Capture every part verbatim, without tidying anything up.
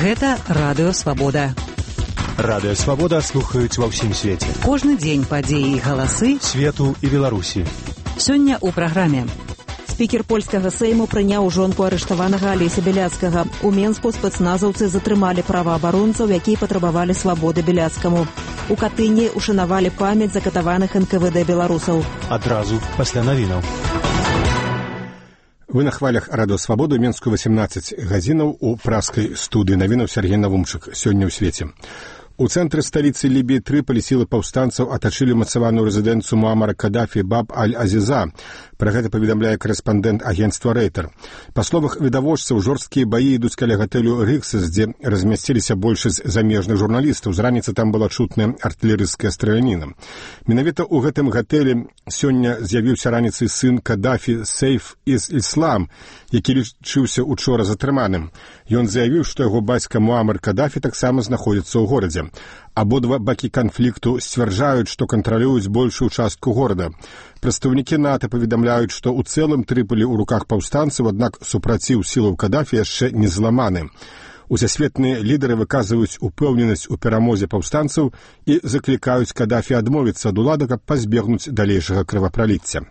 Гэта Радыё Свабода. Радыё Свабода слухаюць ва ўсім свеце. Кожны дзень падзеі і галасы свету і Беларусі. Сёння ў праграме. Спікер польскага сейму прыняў жонку арыштаванага Алеся Бяляцкага. У Менску спецназаўцы затрымалі праваабаронцаў, якія патрабавалі свабоды Бяляцкаму. У Катыні ушанавалі памяць закатаваных эн ка вэ дэ беларусаў. Адразу пасля навінаў. Вы на хвалях Радыё Свабоды, у Менску восемнадцать гадзінаў, у праскай студыі навінаў Сергей Навумчык. Сёння ў свеце. У цэнтры сталіцы Лібіі Трыполі сілы паўстанцаў атачылі умацаваную рэзідэнцыю Муамара Кадафі Баб Аль-Азіза. Пра гэта паведамляе карэспандэнт агенцтва Рэйтер. Па словах відавочцаў, жорсткія баі ідуць каля гатэлю Рыксас, дзе размясціліся большасць замежных журналістаў. З раніцы там была чутная артылерыйская страляніна. Менавіта ў гэтым гатэлі сёння з'явіўся раніцай сын Кадафі Сейф Ис-Іслам, які лічыўся учора затрыманым. Ён заявіў, што яго бацька Муамар Кадафі таксама знаходзіцца ў горадзе. Абодва бакі канфлікту сцвярджаюць, што кантралююць большую частку горада. Прадстаўнікі НАТО паведамляюць, што ў цэлым Трыполі ў руках паўстанцаў, аднак супраціў сілаў Кадафі яшчэ не зламаны. Усесветныя лідары выказваюць упэўненасць у перамозе паўстанцаў і заклікаюць Кадафі адмовіцца ад улады, каб пазбегнуць далейшага крывапраліцця.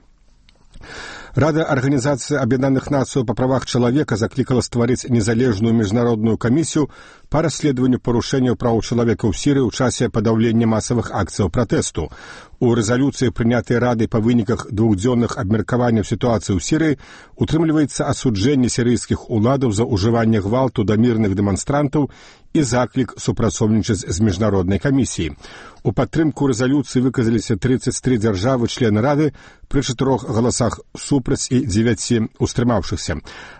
Рада Арганізацыі Аб'яднаных Нацыяў па правах чалавека заклікала стварыць незалежную міжнародную камісію па расследаванню парушэнняў праў чалавека ў Сірыі ў часе падаўлення масавых акцыяў пратэсту. У рэзалюцыі, прынятай Радай па выніках двухдзённых абмеркаванняў сітуацыі ў Сірыі, утрымліваецца асуджэнне сірыйскіх уладаў за ўжыванне гвалту да мірных дэманстрантаў і заклік супрацоўнічаць з міжнароднай камісіяй. У падтрымку рэзалюцыі выказаліся тридцать три дзяржавы члены Рады пры чатырох галасах супраць і дзевяці ўстрымаўшыхся.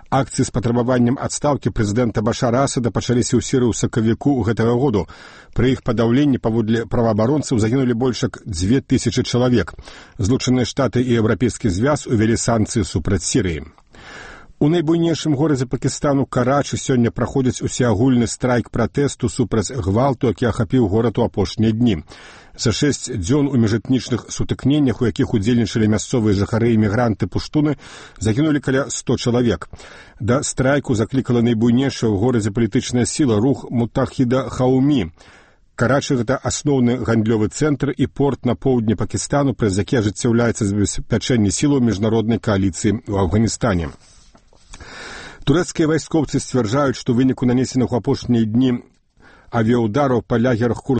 Акцыі з патрабаваннем адстаўкі прэзідэнта Башара Асада пачаліся ў Сірыі ў сакавіку гэтага году. Пры іх падаўленні паводле праваабаронцаў загінулі больш як дзве тысячы чалавек. Злучаныя Штаты і Еўрапейскі звяз увялі санкцыі супраць Сірыі. У найбуйнейшым горадзе Пакістану Карачы сёння праходзіць усеагульны страйк пратэсту супраць гвалту, які ахапіў горад у апошнія дні. За шэсць дзён у міжэтнічных сутыкненнях, у якіх удзельнічалі мясцовыя жыхары і мігранты пуштуны, загінулі каля ста чалавек. Да страйку заклікала найбуйнейшая ў горадзе палітычная сіла рух Мутахіда Хаумі. Карачы – гэта асноўны гандлёвы цэнтр і порт на поўдні Пакістану, праз які ажыццяўляецца забеспячэнне сілаў міжнароднай кааліцыі ў Афганістане. Турэцкія вайскоўцы сцвярджаюць, што ў выніку нанесеных у апошнія дні авіяудараў па лагерах курдаў